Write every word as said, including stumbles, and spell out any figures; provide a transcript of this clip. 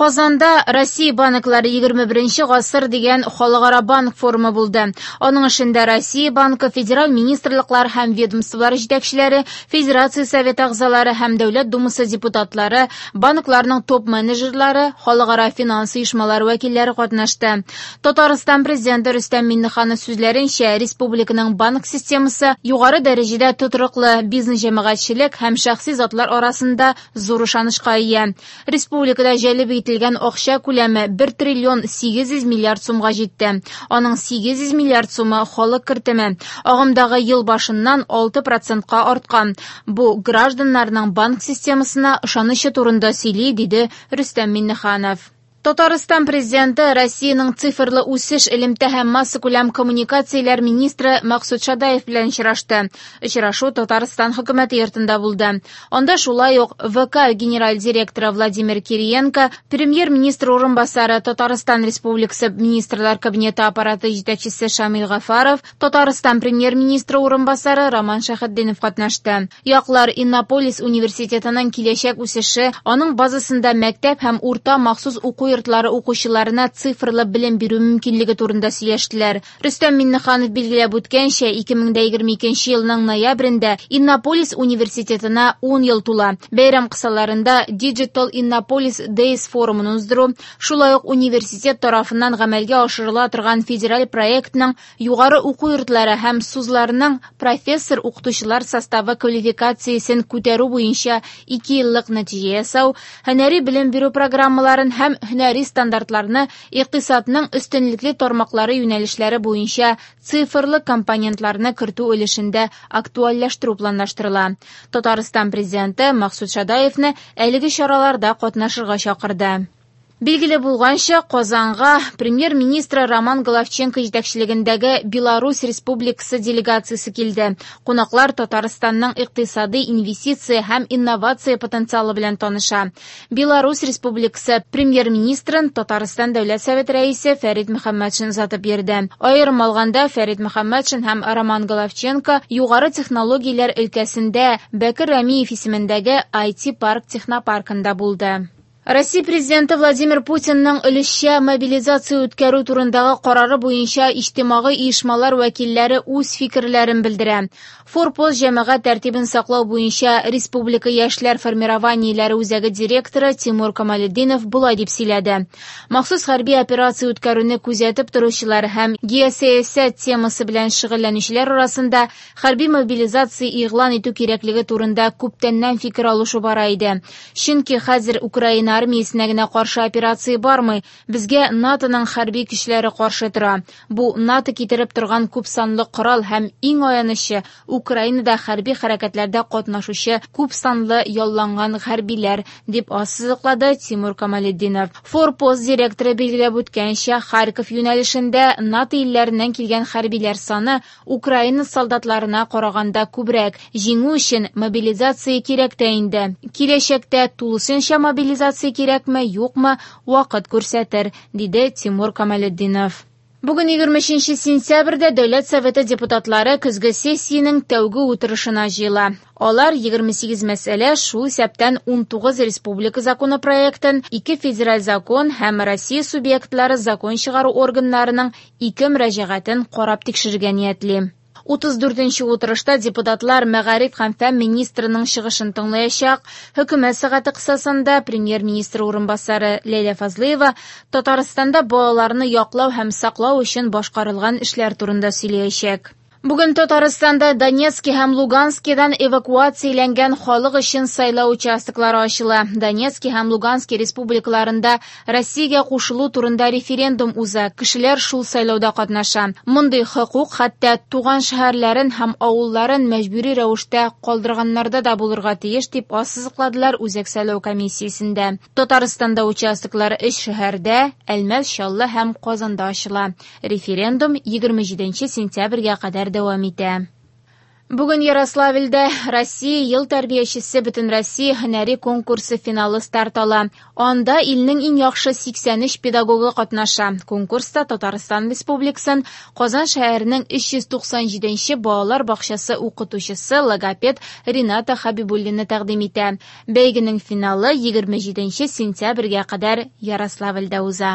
Казанда Россия банклары егерме беренче гасыр дигән халыкара банк форумы булды. Аның эшендә Россия банкы, федераль министрлыклар һәм ведомстволар җитәкчеләре, Федерация Советы әгъзалары һәм Дәүләт Думасы депутатлары, банкларның топ-менеджерлары, халыкара финанс оешмалары вәкилләре катнашты. Татарстан президенты Рөстәм Миңнеханов сүзләренчә, республиканың банк системасы югары дәрәҗәдә тотрыклы, бизнес җәмәгатьчелек һәм шәхси затлар арасында зур ышанычка ия. Республикада җәлеп ителгән акча күләме бер триллион сигез йөз миллиард сумга җитте. Аның сигез йөз миллиард сумы халык кертеме. Агымдагы ел башыннан алты процентка арткан. Бу гражданнарның банк системасына ышанычы турында сөйли, диде Рөстәм Миңнеханов. Татарстан президенты Россиянең цифрлы үсеш, элемтә һәм массакүләм коммуникацияләр министры Максут Шадаев белән очрашты. Очрашу Татарстан хөкүмәте йортында булды. Анда шулай ук В К генераль директоры Владимир Кириенко, премьер-министр урынбасары, Татарстан Республикасы Министрлар Кабинеты аппараты җитәкчесе Шамил Гафаров, Татарстан премьер-министры урынбасары Роман Шәйхетдинов катнашты. Яклар Иннополис университетының киләчәк үсеше, аның базасында мәктәп һәм урта махсус уку йортлары укучыларына цифрлы белем бирү мөмкинлеге турында сөйләштеләр. Рөстәм Миңнеханов билгеләп үткәнчә, ике мең дә егерме икенче елның ноябрендә Иннополис университетына ун ел тула. Бәйрәм кысаларында Digital Innopolis Days форумын уздыру, шулай ук университет тарафыннан гамәлгә ашырыла торган федераль проектның югары уку йортлары һәм СУЗларының профессор-укытучылар составы квалификациясен күтәрү буенча ике еллык нәтиҗә ясау, һөнәри белем бирү программаларын һәм һөнәри стандартларны икътисадның өстенлекле тармаклары юнәлешләре буенча цифрлы компонентларны кертү өлешендә актуальләштерү планлаштырыла. Татарстан президенты Максут Шадаевны әлеге чараларда катнашырга чакырды. Билгеле булганча, Казанга премьер-министры Роман Головченко җитәкчелегендәге Беларусь Республикасы делегациясе килде. Кунаклар Татарстанның икътисади, инвестиция һәм инновация потенциалы белән таныша. Беларусь Республикасы премьер-министрын Татарстан Дәүләт Советы рәисе Фәрит Мөхәммәтшин озатып йөрде. Аерым алганда, Фәрит Мөхәммәтшин һәм Роман Головченко югары технологияләр өлкәсендә Бәкер Рәмиев исемендәге ай ти парк технопаркында булды. Россия президенты Владимир Путинның өлешчә мобилизация үткәрү турындагы карары буенча иҗтимагый оешмалар вәкилләре үз фикерләрен белдерә. Форпост җәмәгать тәртибен саклау буенча Республика яшьләр формированиеләре үзәге директоры Тимур Камалетдинов болай дип сөйләде. Махсус хәрби операция үткәрүне күзәтеп торучылар һәм геосәясәт темасы белән шөгыльләнүчеләр арасында хәрби мобилизация игълан итү кирәклеге турында күптәннән фикер алышу бара иде. Чөнки хәзер Украина армиясенә генә каршы операция бармый, безгә НАТОның хәрби көчләре каршы тора. Бу НАТО китереп торган күп санлы корал һәм иң аянычы Украинада хәрби хәрәкәтләрдә катнашучы күп санлы ялланган хәрбиләр, дип ассызыклады Тимур Камалетдинов. Форпост директоры билгеләп үткәнчә, Харьков юнәлешендә НАТО илләреннән килгән хәрбиләр саны Украина солдатларына караганда күбрәк. Җиңү өчен мобилизация кирәк тә инде. Киләчәктә тулысынча мобилизация кирәкме, юкмы, вакыт күрсәтер, диде Тимур Камалетдинов. Бүген егерме өченче сентябрьдә Дәүләт Советы депутатлары көзге сессиянең тәүге утырышына җыела. Алар егерме сигез мәсьәлә, шул исәптән ун тугыз республика законопроектын, ике федераль закон һәм Россия субъектлары закон чыгару органнарының ике мөрәҗәгатен карап тикшерергә ниятли. Утыз дүртенче утырышта депутатлар мәгариф һәм фән министрының чыгышын тыңлаячак. Хөкүмәт сәгате кысасында премьер-министр урынбасары Ләйлә Фазлыева Татарстанда балаларны яклау һәм саклау өчен башкарылган эшләр турында сөйләячәк. Бүген Татарстанда Донецки һәм Луганскидан эвакуацияләнгән халык өчен сайлау участоклары ачыла. Донецки һәм Лугански республикаларында Россиягә кушылу турында референдум уза. Кешеләр шул сайлауда катнаша. Мондый хокук хәтта туган шәһәрләрен һәм авылларын мәҗбүри рәвештә калдырганнарда да булырга тиеш, дип ассызыкладылар Үзәк сайлау комиссиясендә. Татарстанда участоклар өч шәһәрдә, Әлмәт, Чаллы һәм Казанда ачыла. Референдум егерме җиденче сентябрьгә кадәр дәвам итә. Бүген Ярославльдә «Россия ел тәрбиячесе» Бөтенроссия һөнәри конкурсы финалы старт ала. Анда илнең иң яхшы сиксән өч педагогы катнаша. Конкурста Татарстан Республикасын Казан шәһәренең өч йөз туксан җиденче балалар бакчасы укытучысы логопед Рената Хабибуллина тәкъдим итә. Бәйгенең финалы егерме җиденче сентябрьгә кадәр Ярославльдә уза.